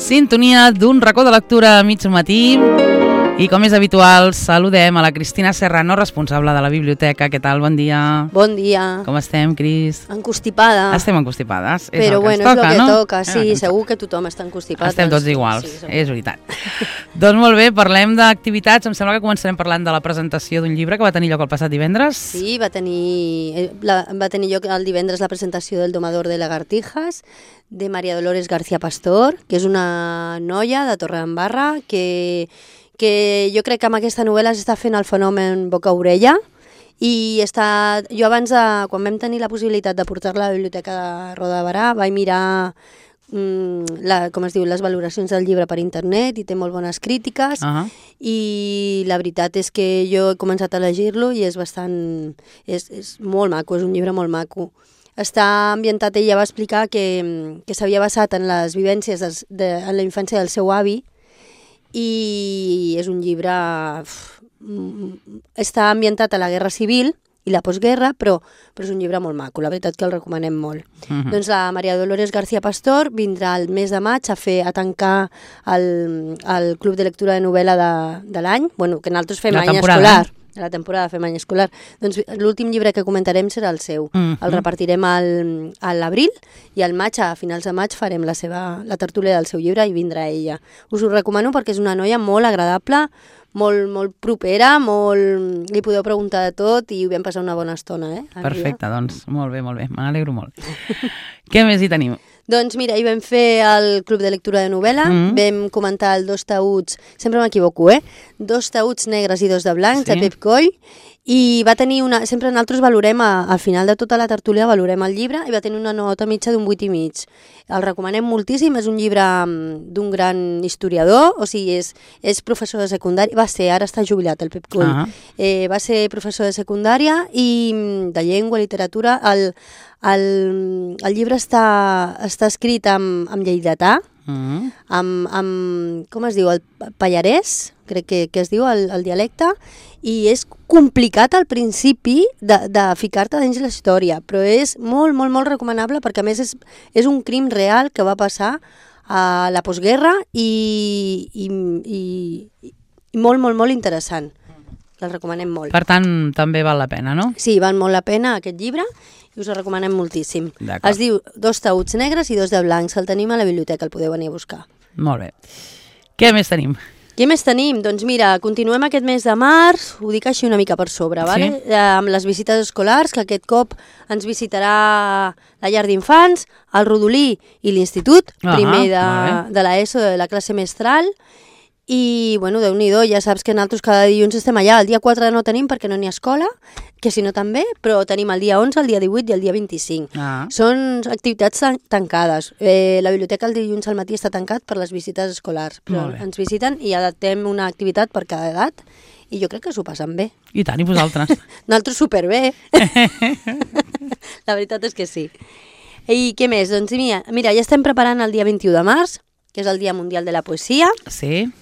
Sintonia d'un racó de lectura a mig matí. I com és habitual, saludem a la Cristina Serrano, responsable de la biblioteca. Què tal? Bon dia. Bon dia. Com estem, Cris? Encostipada. Estem encostipades. Però bueno, és el que toca, sí, segur que tothom està encostipat. Estem tots iguals, és veritat. Doncs molt bé, parlem d'activitats. Em sembla que començarem parlant de la presentació d'un llibre que va tenir lloc el passat divendres. Sí, va tenir lloc el divendres la presentació del Domador de Lagartijas, de María Dolores García Pastor, que és una noia de Torredembarra que jo crec que amb aquesta novel·la s'està fent el fenomen boca-orella i jo abans, quan vam tenir la possibilitat de portar-la a la biblioteca de Roda de Barà, vaig mirar les valoracions del llibre per internet i té molt bones crítiques i la veritat és que jo he començat a llegir-lo i és molt maco, és un llibre molt maco. Està ambientat, ella va explicar que s'havia basat en les vivències en la infància del seu avi i és un llibre... Està ambientat a la Guerra Civil i la postguerra, però és un llibre molt maco, la veritat que el recomanem molt. Doncs la María Dolores García Pastor vindrà el mes de maig a tancar el Club de Lectura de Novel·la de l'any, que nosaltres fem any escolar. De la temporada fem any escolar. Doncs l'últim llibre que comentarem serà el seu. El repartirem a l'abril i al maig, a finals de maig, farem la tertúlia del seu llibre i vindrà ella. Us ho recomano perquè és una noia molt agradable, molt propera, li podeu preguntar de tot i ho vam passar una bona estona. Perfecte, doncs molt bé, me n'alegro molt. Què més hi tenim? Doncs mira, hi vam fer el Club de Lectura de Novel·la, vam comentar el Dos taüts, sempre m'equivoco, Dos taüts negres i dos de blancs, de Pep Coll, i va tenir sempre nosaltres valorem, al final de tota la tertúlia valorem el llibre, i va tenir una nota mitja d'un 8,5. El recomanem moltíssim, és un llibre d'un gran historiador, o sigui, és professor de secundària, ara està jubilat el Pep Coll, va ser professor de secundària i de llengua, literatura. El llibre està escrit amb lleidatà, amb com es diu, el pallarès, crec que es diu el dialecte, i és complicat al principi de ficar-te dins la història, però és molt, molt, molt recomanable perquè a més és un crim real que va passar a la postguerra i molt, molt, molt interessant. El recomanem molt. Per tant, també val la pena, no? Sí, val molt la pena aquest llibre i us el recomanem moltíssim. Es diu Dos taüts negres i dos de blancs. El tenim a la biblioteca, el podeu venir a buscar. Molt bé. Què més tenim? Què més tenim? Doncs mira, continuem aquest mes de març, ho dic així una mica per sobre, vale? Amb les visites escolars, que aquest cop ens visitarà la llar d'infants, el Rodolí i l'institut, primer de l'ESO, de la classe mestral. I, Déu-n'hi-do, ja saps que nosaltres cada dilluns estem allà. El dia 4 no tenim perquè no n'hi ha escola, que si no també, però tenim el dia 11, el dia 18 i el dia 25. Són activitats tancades. La biblioteca el dilluns al matí està tancat per les visites escolars, però ens visiten i adaptem una activitat per cada edat i jo crec que s'ho passen bé. I tant, i vosaltres? Nosaltres superbé. La veritat és que sí. I què més? Doncs mira, ja estem preparant el dia 21 de març, que és el Dia Mundial de la Poesia. Sí.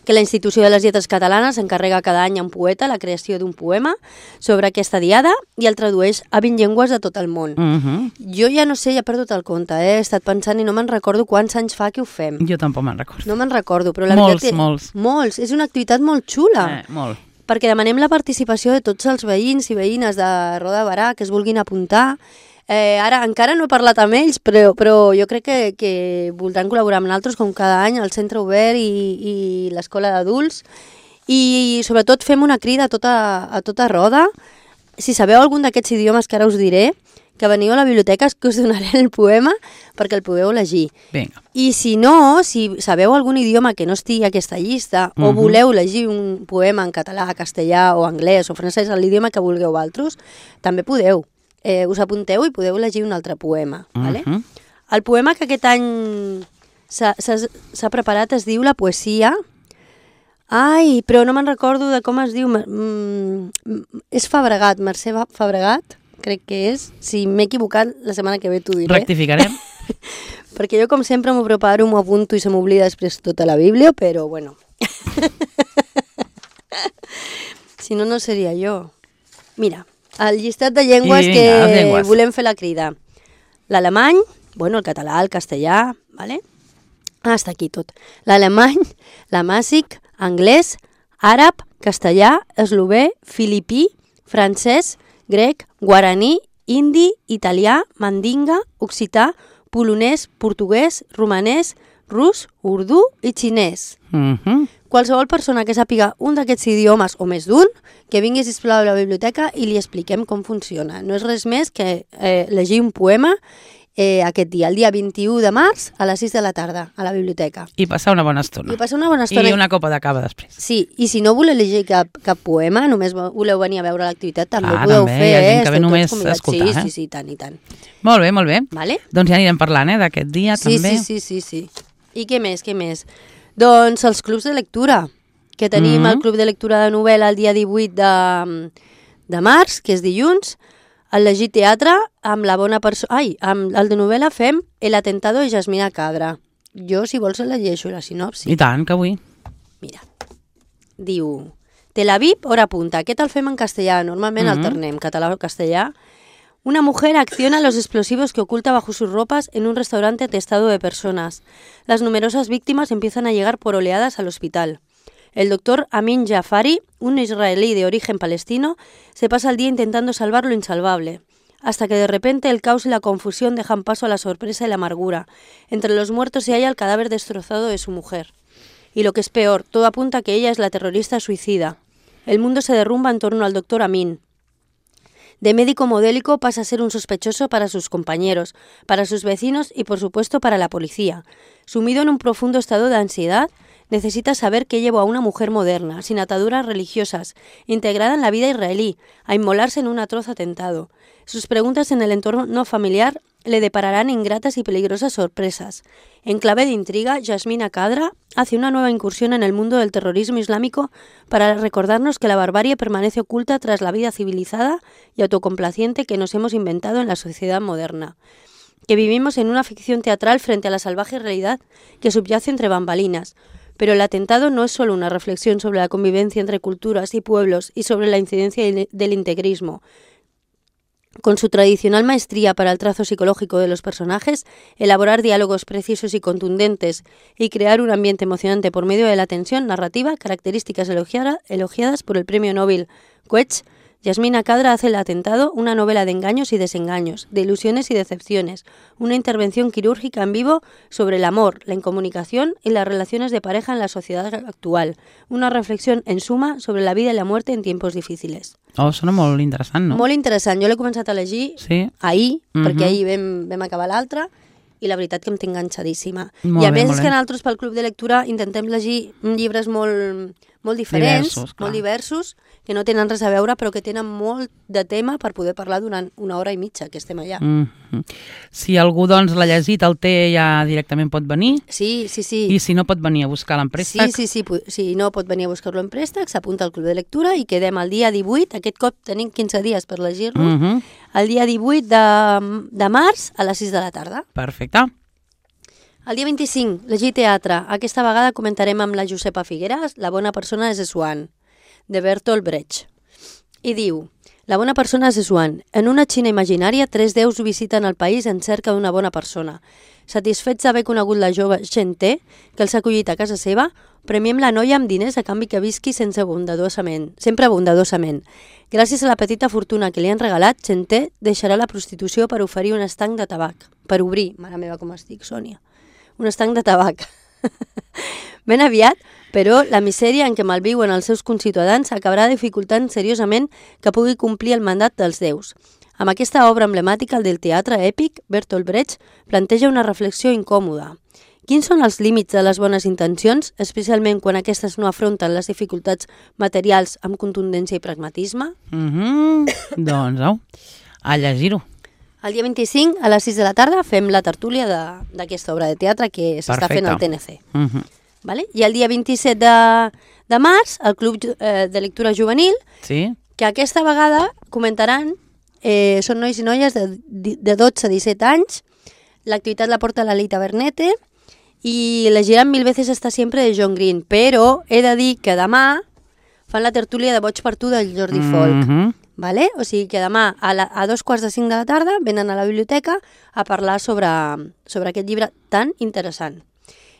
Que la Institució de les Lletres Catalanes s'encarrega cada any a un poeta la creació d'un poema sobre aquesta diada i el tradueix a 20 llengües de tot el món. Jo ja no sé, ja he perdut el compte, he estat pensant i no me'n recordo quants anys fa que ho fem. Jo tampoc me'n recordo. No me'n recordo, però la veritat... Molts. És una activitat molt xula. Molt. Perquè demanem la participació de tots els veïns i veïnes de Roda de Barà que es vulguin apuntar. Ara encara no he parlat amb ells, però jo crec que voldran col·laborar amb nosaltres com cada any, el Centre Obert i l'Escola d'Adults. I sobretot fem una crida a tota Roda. Si sabeu algun d'aquests idiomes que ara us diré, que veniu a la biblioteca que us donaré el poema perquè el pugueu llegir. Vinga. I si no, si sabeu algun idioma que no estigui a aquesta llista o voleu llegir un poema en català, castellà o anglès o francès, l'idioma que vulgueu altres, també podeu. Us apunteu i podeu llegir un altre poema. Vale? El poema que aquest any s'ha preparat es diu La poesia. Ai, però no me'n recordo de com es diu. És Fabregat, Mercè Fabregat, crec que és. Si m'he equivocat, la setmana que ve t'ho diré. Rectificarem. Perquè jo, com sempre, m'ho preparo, m'ho apunto i se m'oblida després tota la Bíblia, però bueno. Si no, no seria jo. Mira, el llistat de llengües volem fer la crida. L'alemany, el català, el castellà, ¿vale? Està aquí tot. L'alemany, l'amàsic, anglès, àrab, castellà, eslové, filipí, francès, grec, guaraní, indi, italià, mandinga, occità, polonès, portuguès, romanès, rus, urdú i xinès. Qualsevol persona que sàpiga un d'aquests idiomes o més d'un, que vingui, sisplau, a la biblioteca i li expliquem com funciona. No és res més que llegir un poema aquest dia, el dia 21 de març, a les 6 de la tarda, a la biblioteca. I passar una bona estona. I una copa de cava després. Sí, i si no voleu llegir cap poema, només voleu venir a veure l'activitat, també podeu fer. Hi ha gent que ve només a escoltar. Sí, tant i tant. Molt bé, molt bé. Vale? Doncs ja anirem parlant d'aquest dia, també. Sí. I què més? Doncs els clubs de lectura, que tenim el club de lectura de novel·la el dia 18 de març, que és dilluns. El llegir teatre amb la bona persona... amb el de novel·la fem El atentado de Yasmina Kadra. Jo, si vols, la llegeixo, la sinopsi. I tant, que vull. Mira, diu... Tel Aviv, hora punta. Aquest el fem en castellà, normalment alternem, català o castellà. Una mujer acciona los explosivos que oculta bajo sus ropas en un restaurante atestado de personas. Las numerosas víctimas empiezan a llegar por oleadas al hospital. El doctor Amin Jafari, un israelí de origen palestino, se pasa el día intentando salvar lo insalvable, hasta que de repente el caos y la confusión dejan paso a la sorpresa y la amargura. Entre los muertos se halla el cadáver destrozado de su mujer. Y lo que es peor, todo apunta a que ella es la terrorista suicida. El mundo se derrumba en torno al doctor Amin. De médico modélico pasa a ser un sospechoso para sus compañeros, para sus vecinos y por supuesto para la policía. Sumido en un profundo estado de ansiedad, necesita saber qué llevó a una mujer moderna, sin ataduras religiosas, integrada en la vida israelí, a inmolarse en un atroz atentado. Sus preguntas en el entorno familiar le depararán ingratas y peligrosas sorpresas. En clave de intriga, Yasmina Kadra hace una nueva incursión en el mundo del terrorismo islámico para recordarnos que la barbarie permanece oculta tras la vida civilizada y autocomplaciente que nos hemos inventado en la sociedad moderna. Que vivimos en una ficción teatral frente a la salvaje realidad que subyace entre bambalinas. Pero el atentado no es solo una reflexión sobre la convivencia entre culturas y pueblos y sobre la incidencia del integrismo. Con su tradicional maestría para el trazo psicológico de los personajes, elaborar diálogos precisos y contundentes y crear un ambiente emocionante por medio de la tensión narrativa, características elogiadas por el premio Nobel Koech, Yasmina Kadra hace El atentado una novela de engaños y desengaños, de ilusiones y decepciones, una intervención quirúrgica en vivo sobre el amor, la incomunicación y las relaciones de pareja en la sociedad actual, una reflexión en suma sobre la vida y la muerte en tiempos difíciles. Sona molt interessant, no? Molt interessant. Jo l'he començat a llegir ahir, perquè ahir vam acabar l'altre, i la veritat que em tinc enganxadíssima. I a més és que nosaltres pel Club de Lectura intentem llegir llibres molt diferents, molt diversos, que no tenen res a veure, però que tenen molt de tema per poder parlar durant una hora i mitja, que estem allà. Si algú doncs l'ha llegit, el té ja directament pot venir? Sí. I si no pot venir a buscar-lo en préstec? Sí. Si no pot venir a buscar-lo en préstec, s'apunta al Club de Lectura i quedem el dia 18, aquest cop tenim 15 dies per llegir-lo, el dia 18 de març a les 6 de la tarda. Perfecte. El dia 25, llegir teatre. Aquesta vegada comentarem amb la Josepa Figueras La bona persona és Swan, de Bertolt Brecht. I diu: La bona persona és Swan. En una Xina imaginària, 3 déus visiten el país en cerca d'una bona persona. Satisfets d'haver conegut la jove Chen Te, que els ha acollit a casa seva, premiem la noia amb diners a canvi que visqui sempre bondadosament. Gràcies a la petita fortuna que li han regalat, Chen Te deixarà la prostitució per oferir un estanc de tabac. Per obrir, mare meva com estic, Sònia. Un estanc de tabac. Ben aviat, però la misèria en què malviuen els seus conciutadans acabarà dificultant seriosament que pugui complir el mandat dels déus. Amb aquesta obra emblemàtica, el del teatre èpic, Bertolt Brecht planteja una reflexió incòmoda. Quins són els límits de les bones intencions, especialment quan aquestes no afronten les dificultats materials amb contundència i pragmatisme? Doncs a llegir-ho. El dia 25, a les 6 de la tarda, fem la tertúlia d'aquesta obra de teatre que s'està fent al TNC. Vale? I el dia 27 de març, el Club de Lectura Juvenil, que aquesta vegada comentaran, són nois i noies de 12 a 17 anys, l'activitat la porta la Leita Bernete, i legiran Mil veces hasta siempre de John Green, però he de dir que demà fan la tertúlia de Boig per tu del Jordi Folk. Vale? O sigui que demà a 2:45 de la tarda venen a la biblioteca a parlar sobre aquest llibre tan interessant.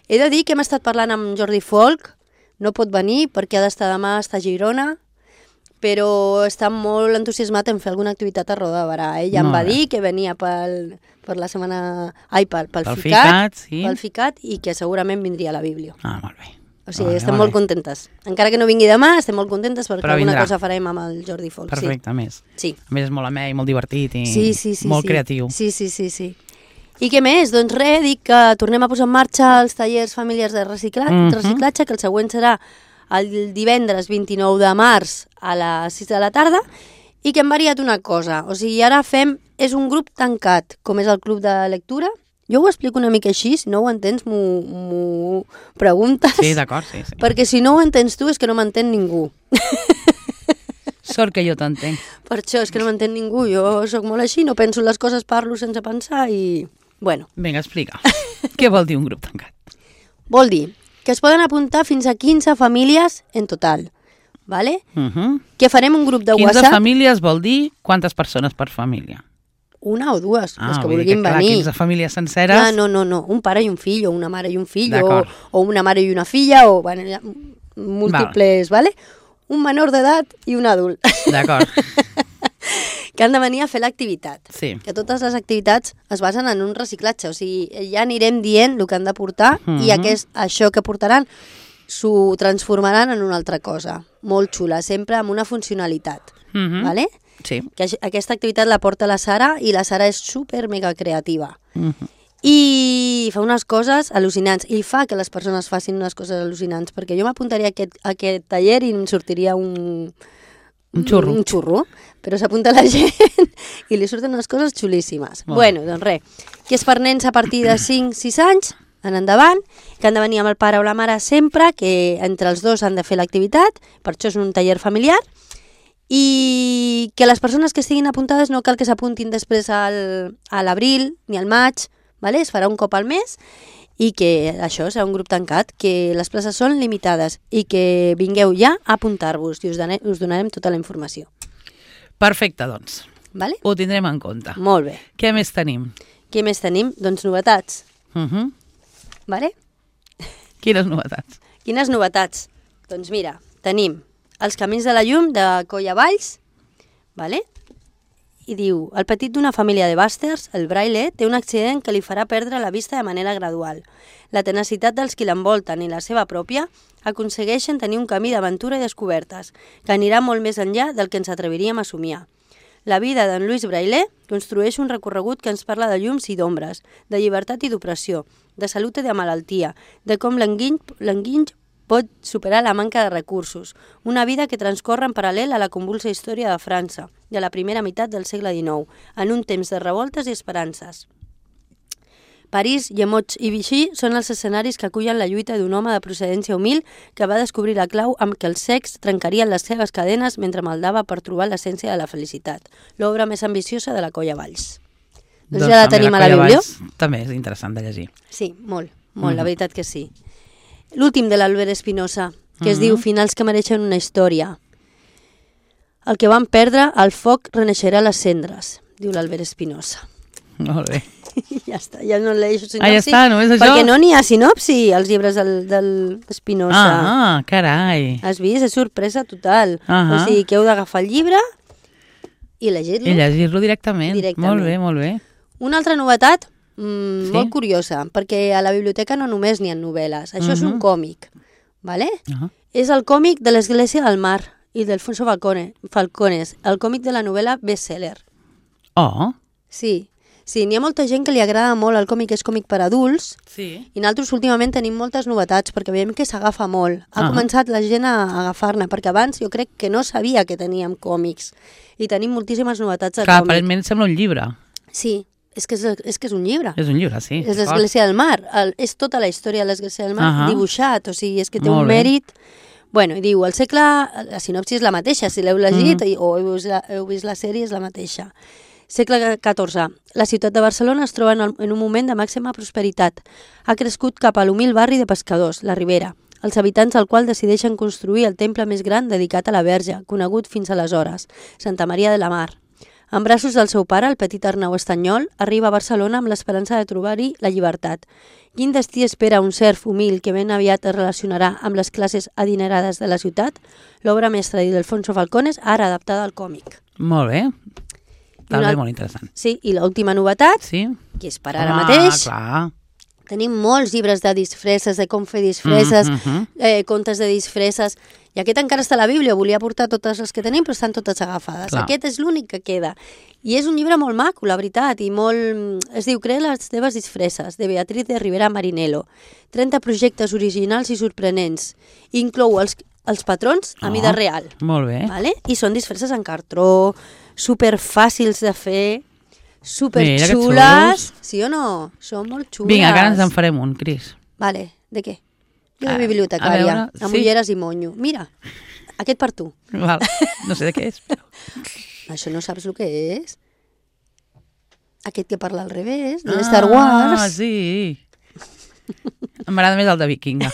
He de dir que hem estat parlant amb Jordi Folk, no pot venir perquè ha d'estar demà, està a Girona, però està molt entusiasmat en fer alguna activitat a Roda de Barà. Ell em va dir que venia pel FICAT i que segurament vindria a la Bíblia. Molt bé. O sigui, estem molt contentes. Encara que no vingui demà, estem molt contentes perquè alguna cosa farem amb el Jordi Folk. Perfecte, a més. Sí. A més és molt amè i molt divertit i molt creatiu. Sí. I què més? Doncs res, dic que tornem a posar en marxa els tallers familiars de reciclatge, que el següent serà el divendres 29 de març a les 6 de la tarda, i que hem variat una cosa. O sigui, ara és un grup tancat, com és el club de lectura. Jo ho explico una mica així, si no ho entens m'ho preguntes. Sí, d'acord, sí. Perquè si no ho entens tu és que no m'entén ningú. Sort que jo t'entenc. Per això és que no m'entén ningú, jo sóc molt així, no penso les coses, parlo sense pensar i... Bueno. Vinga, explica. Què vol dir un grup tancat? Vol dir que es poden apuntar fins a 15 famílies en total, ¿vale? Que farem un grup de 15 WhatsApp... 15 famílies vol dir quantes persones per família? Una o dues, les que vulguin venir. 15 famílies senceres... No, un pare i un fill, o una mare i un fill, o una mare i una filla, o bueno, múltiples, ¿vale? Un menor d'edat i un adult. D'acord. Que han de venir a fer l'activitat. Sí. Que totes les activitats es basen en un reciclatge, o sigui, ja anirem dient el que han de portar i això que portaran s'ho transformaran en una altra cosa, molt xula, sempre amb una funcionalitat, ¿vale? Sí. Que aquesta activitat la porta la Sara i la Sara és super mega creativa. I fa unes coses al·lucinants i fa que les persones facin unes coses al·lucinants, perquè jo m'apuntaria a aquest taller i em sortiria un xurro, però s'apunta la gent i li surten unes coses xulíssimes. Bueno, doncs res, que és per nens a partir de 5-6 anys en endavant, que han de venir amb el pare o la mare sempre, que entre els dos han de fer l'activitat, per això és un taller familiar, i que les persones que estiguin apuntades no cal que s'apuntin després a l'abril ni al maig, ¿vale? Es farà un cop al mes i que això serà un grup tancat, que les places són limitades i que vingueu ja a apuntar-vos i us donarem tota la informació. Perfecte, doncs. Vale? Ho tindrem en compte. Molt bé. Què més tenim? Què més tenim? Doncs novetats. Vale? Quines novetats? Quines novetats? Doncs mira, tenim Els camins de la llum de Colla Valls, vale? I diu, el petit d'una família de bàsters, el Braille, té un accident que li farà perdre la vista de manera gradual. La tenacitat dels qui l'envolten i la seva pròpia aconsegueixen tenir un camí d'aventura i descobertes, que anirà molt més enllà del que ens atreviríem a somiar. La vida d'en Lluís Braille construeix un recorregut que ens parla de llums i d'ombres, de llibertat i d'opressió, de salut i de malaltia, de com l'enguiny pot superar la manca de recursos, una vida que transcorre en paral·lel a la convulsa història de França, de la primera meitat del segle XIX, en un temps de revoltes i esperances. París, Llemotx i Vichy són els escenaris que acullen la lluita d'un home de procedència humil que va descobrir la clau amb què els secs trencarien les seves cadenes mentre maldava per trobar l'essència de la felicitat, l'obra més ambiciosa de la Colla Valls. Doncs ja la tenim a la Bíblia. També és interessant de llegir. Sí, molt, la veritat que sí. L'últim de l'Albert Espinosa, que es diu Finals que mereixen una història. El que van perdre, el foc reneixerà les cendres, diu l'Albert Espinosa. Molt bé. Ja està, ja no llegeixo sinopsi. Ja està, només això? Perquè no n'hi ha sinopsi als llibres del Espinosa. Carai. Has vist? És sorpresa total. O sigui, que heu d'agafar el llibre i llegir-lo. I llegir-lo directament. Molt bé, molt bé. Una altra novetat molt curiosa, perquè a la biblioteca no només n'hi ha novel·les. Això és un còmic, ¿vale? És el còmic de l'Església del Mar i d'Alfonso Falcones, el còmic de la novel·la bestseller. Oh. Sí, n'hi ha molta gent que li agrada molt el còmic, és còmic per adults, i nosaltres últimament tenim moltes novetats, perquè veiem que s'agafa molt. Ha començat la gent a agafar-ne, perquè abans jo crec que no sabia que teníem còmics, i tenim moltíssimes novetats de còmic. Aparentment sembla un llibre. Sí, és que és un llibre. És un llibre, sí. És l'Església del Mar. És tota la història de l'Església del Mar dibuixat, o sigui, és que té un mèrit. Bueno, i diu, el segle, la sinopsi és la mateixa, si l'heu llegit o heu vist la sèrie és la mateixa. Segle XIV. La ciutat de Barcelona es troba en un moment de màxima prosperitat. Ha crescut cap a l'humil barri de pescadors, la Ribera. els habitants del qual decideixen construir el temple més gran dedicat a la Verge, conegut fins aleshores, Santa Maria de la Mar. En braços del seu pare, el petit Arnau Estanyol, arriba a Barcelona amb l'esperança de trobar-hi la llibertat. Quin destí espera un serf humil que ben aviat es relacionarà amb les classes adinerades de la ciutat? L'obra mestra d'Ildefonso Falcones, ara adaptada al còmic. Molt bé. També molt interessant. Sí, i l'última novetat, sí? Que és per ara mateix. Clar. Tenim molts llibres de disfresses, de com fer disfresses, contes de disfresses, i aquest encara està a la Bíblia, volia portar totes les que tenim, però estan totes agafades. Clar. Aquest és l'únic que queda. I és un llibre molt maco, la veritat, i molt... Es diu Crea les teves disfresses, de Beatriz de Rivera Marinello. 30 projectes originals i sorprenents. Inclou els patrons a mida real. Molt bé. Vale? I són disfresses en cartró, superfàcils de fer... Superxules, sí o no? Són molt xules. Vinga, que ara ens en farem un, Cris. Vale, de què? Jo de bibliotecària, amb ulleres i monyo. Mira, aquest per tu. Val. No sé de què és, però... Això no saps el que és? Aquest que parla al revés, de Star Wars. Ah, sí. M'agrada més el de Vikinga.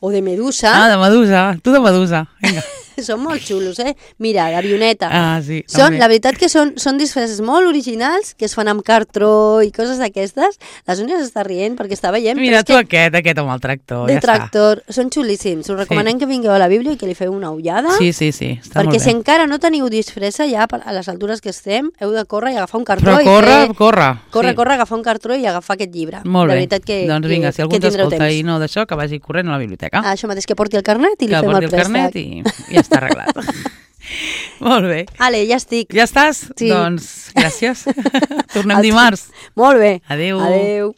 O de Medusa. Ah, de Medusa. Tu de Medusa. Vinga. Són molt xulos, eh? Mira, d'avioneta. Ah, sí. La veritat que són disfresses molt originals, que es fan amb cartró i coses d'aquestes. La Sònia s'està rient perquè està veient. Mira tu aquest amb el tractor, ja tractor. Està. Són xulíssims. Us recomanem que vingueu a la Bíblia i que li feu una ullada. Sí, està molt bé. Perquè si encara no teniu disfressa, ja a les altures que estem, heu de córrer i agafar un cartró. Però Corre, agafar un cartró i agafar aquest llibre. Molt bé. La veritat que doncs vinga, si algú t'escolta i no d'això, que vagi corrent a la biblioteca. Això mateix, que porti el carnet i li fem el préstec. I ja està arreglat. Molt bé. Ale, ja estic. Ja estàs? Sí. Doncs gràcies. Tornem dimarts. Molt bé. Adéu. Adéu.